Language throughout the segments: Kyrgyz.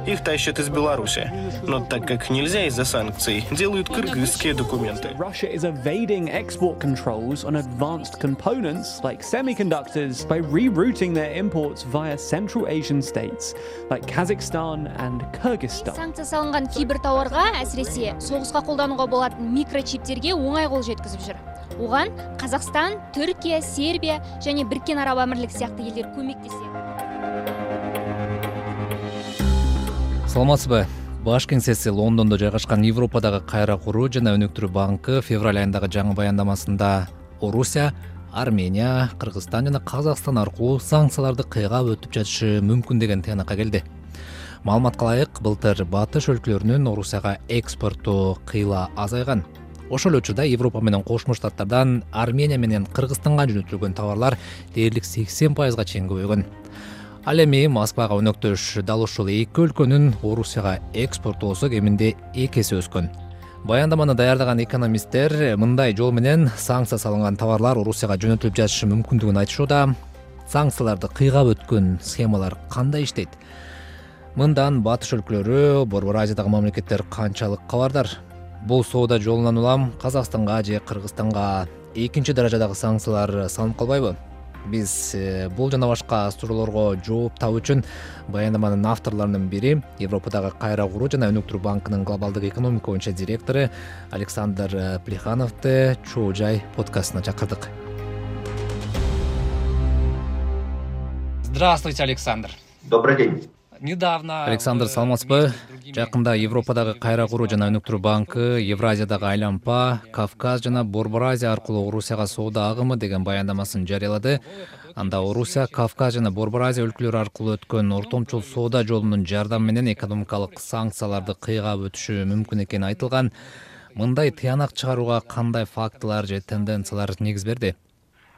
Их тащат из Беларуси. Но так как нельзя из-за санкций, делают кыргызские документы. Russia is evading export controls on advanced components like semiconductors by rerouting their imports via Central Asian states like Kazakhstan and Kyrgyzstan. Санкция салынган кейбір тауарға, әсіресе соғысқа қолдануға болатын микрочиптерге оңай қол жеткізіп жүр. Оған Қазақстан, Түркия, Сербия және Біріккен Араб Әмірлігі сияқты елдер көмектеседі. Саламатсызбы. Баш кеңсеси Лондондо жайгашкан Европадагы кайра куруу жана өнүктүрүү банкы февраль айындагы жаңы баяндамасында Орусия, Армения, Кыргызстан жана Казакстан аркылуу санкцияларды кыйгап өтүп жатышы мүмкүн деген тыянакка келди. Маалыматка ылайык, былтыр батыш өлкөлөрүнүн Орусияга экспорту кыйла азайган. Ошол учурда Европа менен Кошмо Штаттардан Армения менен Кыргызстанга жөнөтүлгөн товарлар дээрлик 80%га чейин көбөйгөн. Ал эми Москвага өнөктөш дал ушул эки өлкөнүн Орусияга экспортоосу кеминде 2 эсе өскөн. Баяндаманы даярдаган экономисттер мындай жол менен санкция салынган товарлар Орусияга жөнөтүлүп жатышы мүмкүндүгүн айтышууда. Санкцияларды кыйгап өткөн схемалар кандай иштейт? Мындан батыш өлкөлөрү, Борбор Азиядагы мамлекеттер канчалык кабардар? Бул соода жолунан улам Казакстанга же Кыргызстанга экинчи даражадагы санкциялар салынып калбайбы? Биз бул жана башка суроолорго жооп табуу үчүн баяндаманын авторлорунун бири Европадагы кайра куруу жана өнүктүрүү банкынын глобалдык экономика боюнча директору Александр Плехановду Чоо Жай подкастына чакырдык. Здравствуйте, Александр. Добрый день. Недавно... Александр, саламатсызбы? Жакында Европадагы кайра куруу жана өнүктүрүү банкы Евразиядагы Айлампа, Кавказ жана Борбор Азия аркылуу Орусияга соода агымы деген баяндамасын жарыялады. Анда Орусия, Кавказ жана Борбор Азия өлкөлөрү аркылуу өткөн ортомчул соода жолунун жардамы менен экономикалык санкцияларды кыйгап өтүшү мүмкүн экени айтылган. Мындай тыянак чыгарууга кандай фактылар же тенденциялар негиз берди?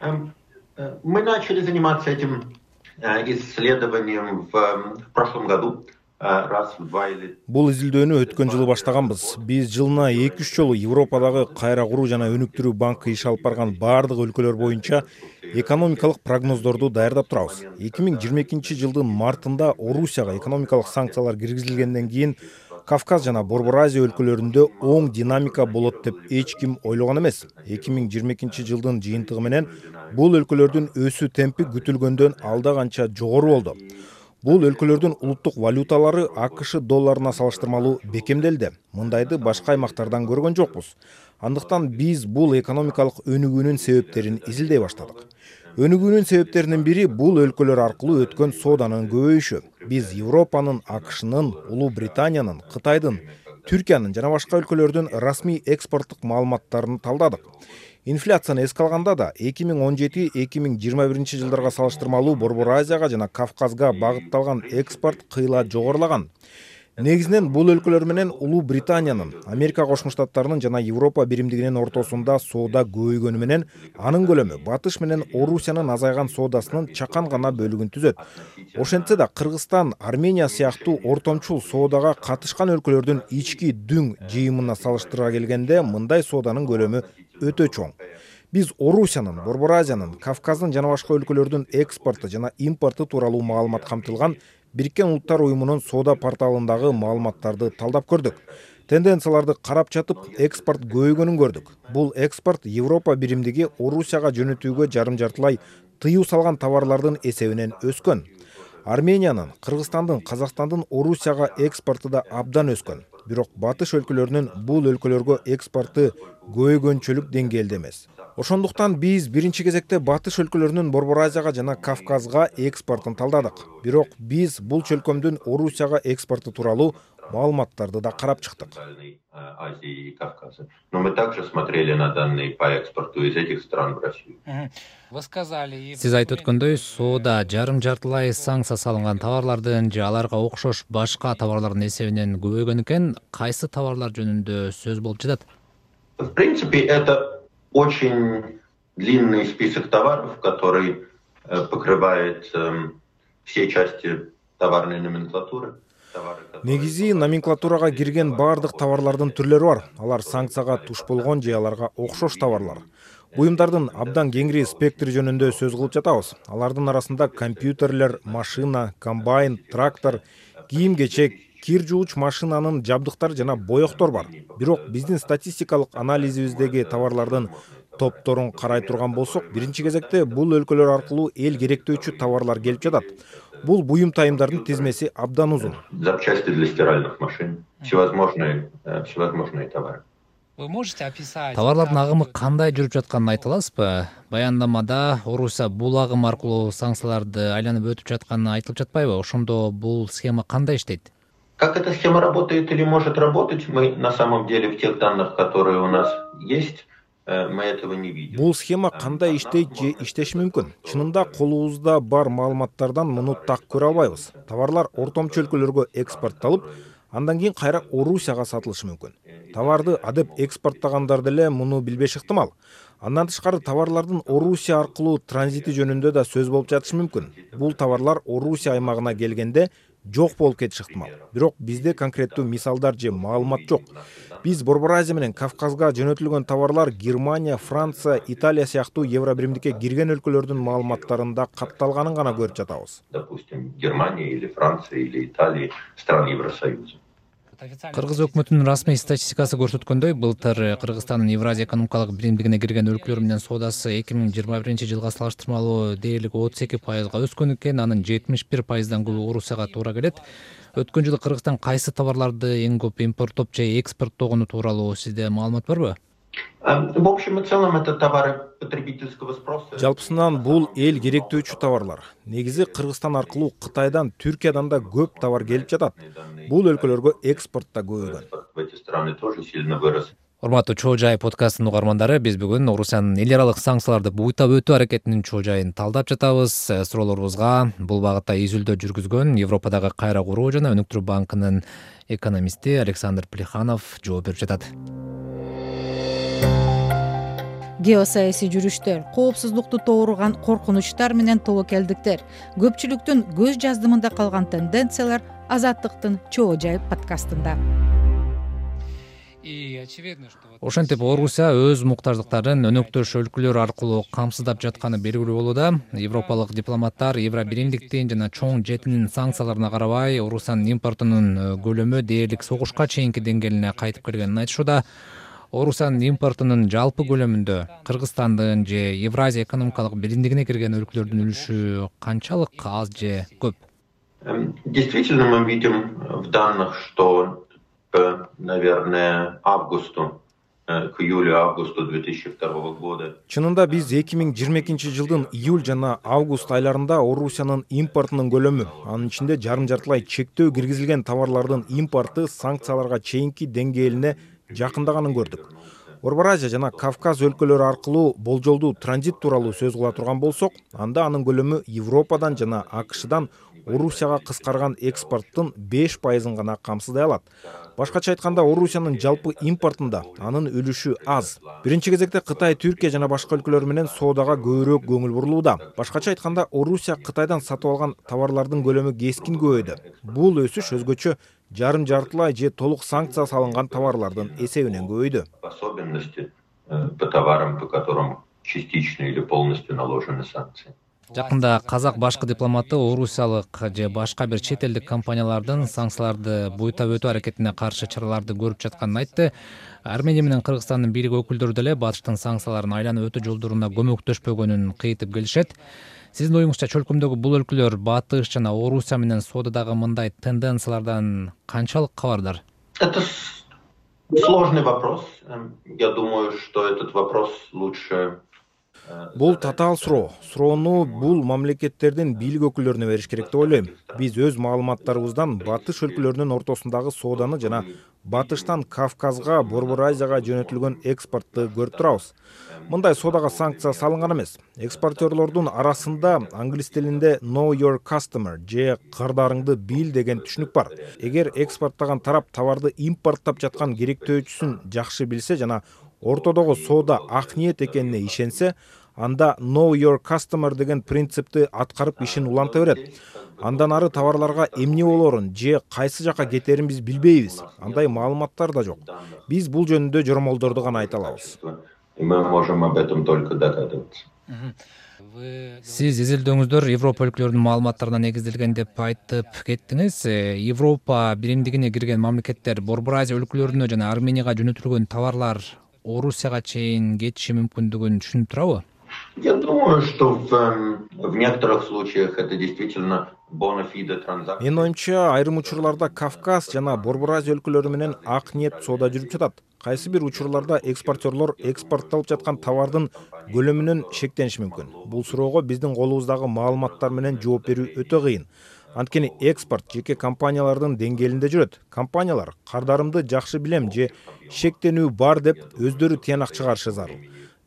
Мы начали заниматься этим исследованием в прошлом году. Бул изилдөөнү өткөн жылы баштаганбыз. Биз жылына 2-3 жолу Европадагы кайра куруу жана өнүктүрүү банкы иш алып барган баардык өлкөлөр боюнча экономикалык прогноздорду даярдап турабыз. 2022 жылдын мартында Орусияга экономикалык санкциялар киргизилгенден кийин Кавказ жана Борбор Азия өлкөлөрүндө оң динамика болот деп эч ким ойлогон эмес. 2022 жылдын жыйынтыгы менен бул өлкөлөрдүн өсүү темпи күтүлгөндөн алда канча жогору болду. Бул өлкөлөрдүн улуттук валюталары АКШ долларына салыштырмалуу бекемделди. Мындайды башка аймактардан көргөн жокпуз. Андыктан биз бул экономикалык өнүгүүнүн себептерин изилдей баштадык. Өнүгүүнүн себептеринин бири бул өлкөлөр аркылуу өткөн сооданын көбөйүшү. Биз Европанын, АКШнын, Улуу Британиянын, Кытайдын, Түркиянын жана башка өлкөлөрдүн расмий экспорттук маалыматтарын талдадык. Инфляцияны эске алганда да 2017-2021 жылдарга салыштырмалуу Борбор Азияга жана Кавказга багытталган экспорт кыйла жогорулаган. Негизинен бул өлкөлөр менен Улуу Британиянын, Америка Кошмо Штаттарынын жана Европа биримдигинин ортосунда соода көбөйгөнү менен анын көлөмү батыш менен Орусиянын азайган соодасынын чакан гана бөлүгүн түзөт. Ошентсе да Кыргызстан, Армения сыяктуу ортомчул соодага катышкан өлкөлөрдүн ички дүң жыйымына салыштыра келгенде мындай сооданын көлөмү өтө чоң. Биз Орусиянын, Борбор Азиянын, Кавказдын жана башка өлкөлөрдүн экспорту жана импорту тууралуу маалымат камтылган Бириккен Улуттар уюмунун соода порталындагы маалыматтарды талдап көрдүк. Тенденцияларды карап жатып, экспорт көбөйгөнүн көрдүк. Бул экспорт Европа биримдиги Орусияга жөнөтүүгө жарым-жартылай тыюу салган товарлардын эсебинен өскөн. Армениянын, Кыргызстандын, Казакстандын Орусияга экспорту да абдан өскөн. Бирок батыш өлкөлөрүнүн бул өлкөлөргө экспорту көбөйгөнчөлүк деңгээлде эмес. Ошондуктан биз биринчи кезекте батыш өлкөлөрүнүн Борбор Азияга жана Кавказга экспортун талдадык. Бирок биз бул чөлкөмдүн Орусияга экспорту тууралуу маалыматтарды да карап чыктык. Но мы также смотрели на данные по экспорту из этих стран в Россию. Сиз айтып өткөндөй, соода жарым-жартылай санкция салынган товарлардын же аларга окшош башка товарлардын эсебинен көбөйгөн экен. Кайсы товарлар жөнүндө сөз болуп жатат? В принципе, это очень длинный список товаров, который покрывает все части товарной номенклатуры. Негизи номенклатурага кирген баардык товарлардын түрлөрү бар. Алар санкцияга туш болгон же аларга окшош товарлар. Буюмдардын абдан кеңири спектри жөнүндө сөз кылып жатабыз. Алардын арасында компьютерлер, машина, комбайн, трактор, кийим-кечек, кир жууч машинанын жабдыктары жана боектор бар. Бирок биздин статистикалык анализибиздеги товарлардын топторун карай турган болсок, биринчи кезекте бул өлкөлөр аркылуу эл керектөөчү товарлар келип жатат. Бул буюм тайымдардын тизмеси абдан узун. Запчасти для стиральных машин, всевозможные товары. Товарлардын агымы кандай жүрүп жатканын айта аласызбы? Баяндамада Орусия бул агым аркылуу санкцияларды айланып өтүп жатканы айтылып жатпайбы? Ошондо бул схема кандай иштейт? Как эта схема работает или может работать, мы на самом деле в тех данных, которые у нас есть, мы этого не видим. Бул схема кандай иштейт же иштеши мүмкүн? Чынында колубузда бар маалыматтардан муну так көрө албайбыз. Товарлар ортомчу өлкөлөргө экспортталып, андан кийин кайра Орусияга сатылышы мүмкүн. Товарды адеп экспорттагандар деле муну билбеш ыктымал. Андан тышкары товарлардын Орусия аркылуу транзити жөнүндө да сөз болуп жатышы мүмкүн. Бул товарлар Орусия аймагына келгенде жок болуп кетиши ыктымал. Бирок бизде конкреттүү мисалдар же маалымат жок. Биз Борбор Азия менен Кавказга жөнөтүлгөн товарлар Германия, Франция, Италия сыяктуу Евробиримдикке кирген өлкөлөрдүн маалыматтарында катталганын гана көрүп жатабыз. Допустим, Германия или Франция или Италия, стран Евросоюза. Кыргыз өкмөтүнүн расмий статистикасы көрсөткөндөй, былтыр Кыргызстандын Евразия экономикалык биримдигине кирген өлкөлөр менен соодасы 2021-жылга салыштырмалуу дээрлик 32%га өскөн экен, анын 71%дан көбү Орусияга туура келет. Өткөн жылы Кыргызстан кайсы товарларды эң көп импорттоп же экспорттогону тууралуу сизде маалымат барбы? В общем и целом это товары потребительского спроса. Жалпысынан бул эл керектөөчү товарлар. Негизи Кыргызстан аркылуу Кытайдан, Түркиядан да көп товар келип жатат. Бул өлкөлөргө экспорт да көбөйгөн. В эти страны тоже сильно вырос. Урматтуу Чоо Жай подкастынын угармандары, биз бүгүн Орусиянын эл аралык санкцияларды буйтап өтүү аракетинин чоо жайын талдап жатабыз. Суроолорубузга бул багытта изилдөө жүргүзгөн Европадагы кайра куруу жана өнүктүрүү банкынын экономисти Александр Плеханов жооп берип жатат. Геосаясий жүрүштөр, коопсуздукту тууруган коркунучтар менен тобокелдиктер, көпчүлүктүн көз жаздымында калган тенденциялар Азаттыктын Чоо Жай подкастында. Ошентип Орусия өз муктаждыктарын өнөктөш өлкөлөр аркылуу камсыздап жатканы белгилүү болууда. Европалык дипломаттар Евробиримдиктин жана чоң жетинин санкцияларына карабай, Орусиянын импортунун көлөмү дээрлик согушка чейинки деңгээлине кайтып келгенин айтышууда. Орусиянын импортунун жалпы көлөмүндө Кыргызстандын же Евразия экономикалык биримдигине кирген өлкөлөрдүн үлүшү канчалык, аз же көп? Действительно, мы видим в данных, что наверное, к июлю-августу 2002 года. Чынында биз 2022-жылдын июль жана август айларында Орусиянын импортунун көлөмү, анын ичинде жарым-жартылай чектөө киргизилген товарлардын импорты санкцияларга чейинки деңгээлине жакындаганын көрдүк. Борбор Азия жана Кавказ өлкөлөрү аркылуу болжолдуу транзит тууралуу сөз кыла турган болсок, анда анын көлөмү Европадан жана АКШдан Орусияга кыскарган экспорттун 5%-ын гана камсыздай алат. Башкача айтканда, Орусиянын жалпы импортунда анын үлүшү аз. Биринчи кезекте Кытай, Түркия жана башка өлкөлөр менен соодага көбүрөөк көңүл бурулууда. Башкача айтканда, Орусия Кытайдан сатып алган товарлардын көлөмү кескин көбөйдү. Бул өсүш өзгөчө жарым-жартылай же толук санкция салынган товарлардын эсебинен көбөйдү. Особенности по товарам, по которым частично или полностью наложены санкции. Жакында казак башкы дипломаты орусиялык же башка бир чет элдик компаниялардын санкцияларды буйтап өтүү аракетине каршы чараларды көрүп жатканын айтты. Армения менен Кыргызстандын бийлик өкүлдөрү деле батыштын санкцияларын айланып өтүү жолдоруна көмөктөшпөгөнүн кыйтып келишет. Сиздин оюңузча чөлкөмдөгү бул өлкөлөр Батыш жана Орусия менен соодадагы мындай тенденциялардан канчалык кабардар? Это сложный вопрос. Я думаю, что этот вопрос лучше. Бул татаал суроо. Суроону бул мамлекеттердин бийлик өкүлдөрүнө бериш керек деп ойлойм. Биз өз маалыматтарыбыздан Батыш өлкөлөрүнүн ортосундагы сооданы жана Батыштан Кавказга, Борбор Азияга жөнөтүлгөн экспортту көрүп турабыз. Мындай соодага санкция салынган эмес. Экспортерлордун арасында англис тилинде know your customer же кырдарыңды бил деген түшүнүк бар. Эгер экспорттаган тарап товарды импорттап жаткан керектөөчүсүн жакшы билсе жана ортодогу соода ак ниет экенине ишенсе, анда know your customer деген принципти аткарып ишин уланта берет. Андан ары товарларга эмне болорун же кайсы жака кетерин биз билбейбиз. Андай маалыматтар да жок. Биз бул жөнүндө жоромолдорду гана айта алабыз. Мы можем об этом только догадываться. Сиз изилдөөңүздөр Европа өлкөлөрүнүн маалыматтарына негизделген деп айтып кеттиңиз. Европа биримдигине кирген мамлекеттер Борбор Азия өлкөлөрүнө жана Арменияга жөнөтүлгөн товарлар Орусияга чейин кетиши мүмкүндүгүн түшүнүп турабы? Я думаю, что в некоторых случаях это действительно бонафиде транзакция. Менин оюмча, айрым учурларда Кавказ жана Борбор Азия өлкөлөрү менен ак ниет соода жүрүп жатат. Кайсы бир учурларда экспортерлор экспортталып жаткан товардын көлөмүнөн шектениши мүмкүн. Бул суроого биздин колубуздагы маалыматтар менен жооп берүү өтө кыйын. Анткени экспорт жеке компаниялардын деңгээлинде жүрөт. Компаниялар кардарымды жакшы билем же шектенүү бар деп өздөрү тыянак чыгарышы зарыл.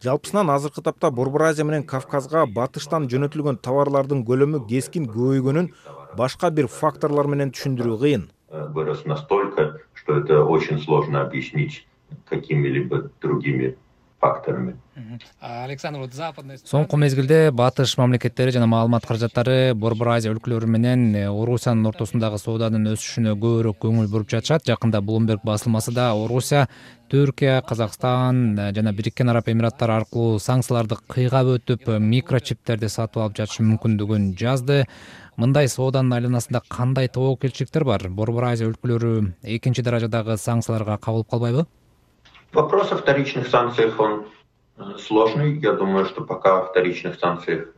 Жалпысынан азыркы тапта Борбор Азия менен Кавказга батыштан жөнөтүлгөн товарлардын көлөмү кескин көбөйгөнүн башка бир факторлор менен түшүндүрүү кыйын. Вырос настолько, что это очень сложно объяснить какими-либо другими факторами. Соңку мезгилде батыш мамлекеттери жана маалымат каражаттары Борбор Азия өлкөлөрү менен Орусиянын ортосундагы сооданын өсүшүнө көбүрөөк көңүл буруп жатышат. Жакында Bloomberg басылмасы да Орусия, Түркия, Казакстан жана Бириккен Араб Эмираттары аркылуу санкцияларды кыйгап өтүп, микрочиптерди сатып алып жатышы мүмкүндүгүн жазды. Мындай сооданын айланасында кандай тобокелчиликтер бар? Борбор Азия өлкөлөрү экинчи даражадагы санкцияларга кабылып калбайбы? Вопрос о вторичных санкциях, он сложный. Я думаю, что пока о вторичных санкциях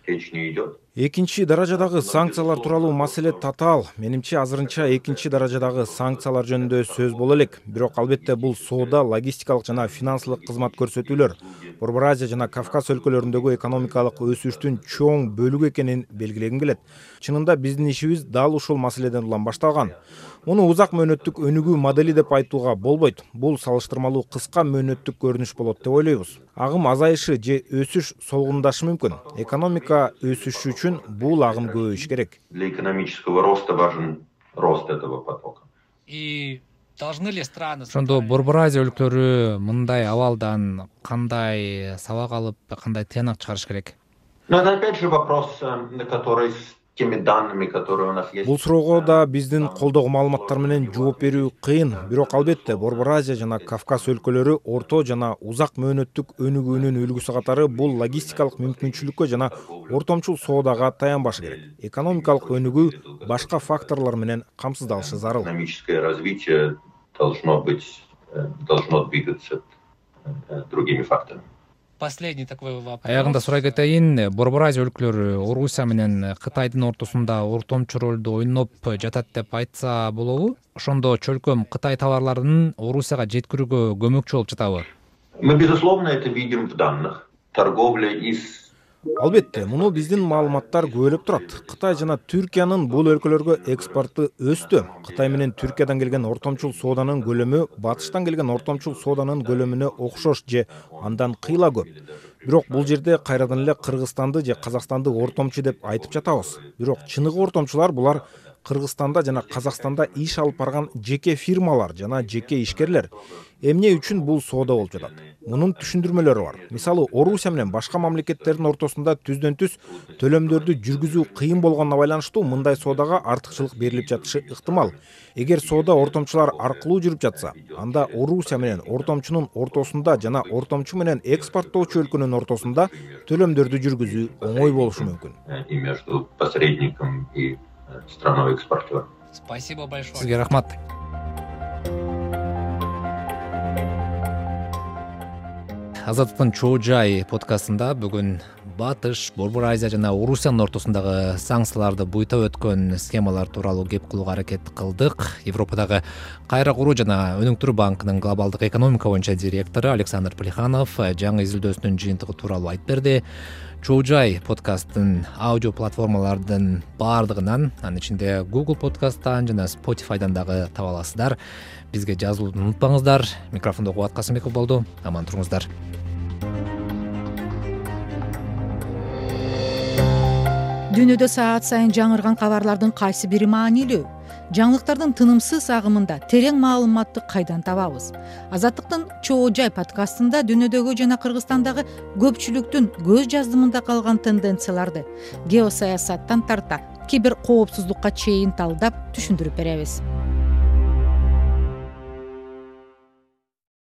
речь не идет. Экинчи даражадагы санкциялар тууралуу маселе татаал. Менимче азырынча экинчи даражадагы санкциялар жөнүндө сөз боло элек. Бирок албетте бул соода, логистикалык жана финансылык кызмат көрсөтүүлөр Борбор Азия жана Кавказ өлкөлөрүндөгү экономикалык өсүштүн чоң бөлүгү экенин белгилегим келет. Чынында биздин ишибиз дал ушул маселеден улам башталган. Муну узак мөөнөттүк өнүгүү модели деп айтууга болбойт. Бул салыштырмалуу кыска мөөнөттүк көрүнүш болот деп ойлойбуз. Агым азайышы же өсүш солгундашы мүмкүн. Экономика өсүшү үчүн бул агым көбөйүш керек. Для экономического роста важен рост этого потока. Ошондо Борбор Азия өлкөлөрү мындай абалдан кандай сабак алып, кандай тыянак чыгарыш керек? Но это опять же вопрос, на который с теми данными, которые у нас есть. Бул суроого да биздин колдогу маалыматтар менен жооп берүү кыйын. Бирок албетте Борбор Азия жана Кавказ өлкөлөрү орто жана узак мөөнөттүк өнүгүүнүн үлгүсү катары бул логистикалык мүмкүнчүлүккө жана ортомчул соодага таянбашы керек. Экономикалык өнүгүү башка факторлор менен камсыздалышы зарыл. Экономическое развитие должно двигаться другими факторами. Аягында сурай кетейин, Борбор Азия өлкөлөрү Орусия менен Кытайдын ортосунда ортомчу ролду ойноп жатат деп айтса болобу? Ошондо чөлкөм Кытай товарларынын Орусияга жеткирүүгө көмөкчү болуп жатабы? Мы, безусловно, это видим в данных. Торговля из... Албетте, муну биздин маалыматтар күбөлөп турат. Кытай жана Түркиянын бул өлкөлөргө экспорту өстү. Кытай менен Түркиядан келген ортомчул сооданын көлөмү батыштан келген ортомчул сооданын көлөмүнө окшош же андан кыйла көп. Бирок бул жерде кайрадан эле Кыргызстанды же Казакстанды ортомчу деп айтып жатабыз. Бирок чыныгы ортомчулар булар Кыргызстанда жана Казакстанда иш алып барган жеке фирмалар жана жеке ишкерлер. Эмне үчүн бул соода болуп жатат? Мунун түшүндүрмөлөрү бар. Мисалы, Орусия менен башка мамлекеттердин ортосунда түздөн-түз төлөмдөрдү жүргүзүү кыйын болгонуна байланыштуу мындай соодага артыкчылык берилип жатышы ыктымал. Эгер соода ортомчулар аркылуу жүрүп жатса, анда Орусия менен ортомчунун ортосунда жана ортомчу менен экспорттоочу өлкөнүн ортосунда төлөмдөрдү жүргүзүү оңой болушу мүмкүн. И между посредником и страной экспортером. Спасибо большое. Сизге рахмат. Азаттыктын чоо жай подкастында бүгүн Батыш, Борбор Азия жана Орусиянын ортосундагы санкцияларды буйтап өткөн схемалар тууралуу кеп кылууга аракет кылдык. Европадагы кайра куруу жана өнүктүрүү банкынын глобалдык экономика боюнча директору Александр Плеханов жаңы изилдөөсүнүн жыйынтыгы тууралуу айтып берди. Чоо жай подкасттын аудио платформалардын баардыгынан, анын ичинде Google подкасттан жана Spotify'дан дагы таба аласыздар. Бизге жазылууну унутпаңыздар. Микрофондо Кубат Касымбеков болду. Аман туруңуздар. Дүйнөдө саат сайын жаңырган кабарлардын кайсы бири маанилүү? Жаңылыктардын тынымсыз агымында терең маалыматты кайдан табабыз? Азаттыктын чоо жай подкастында дүйнөдөгү жана Кыргызстандагы көпчүлүктүн көз жаздымында калган тенденцияларды геосаясаттан тарта кибер коопсуздукка чейин талдап түшүндүрүп беребиз.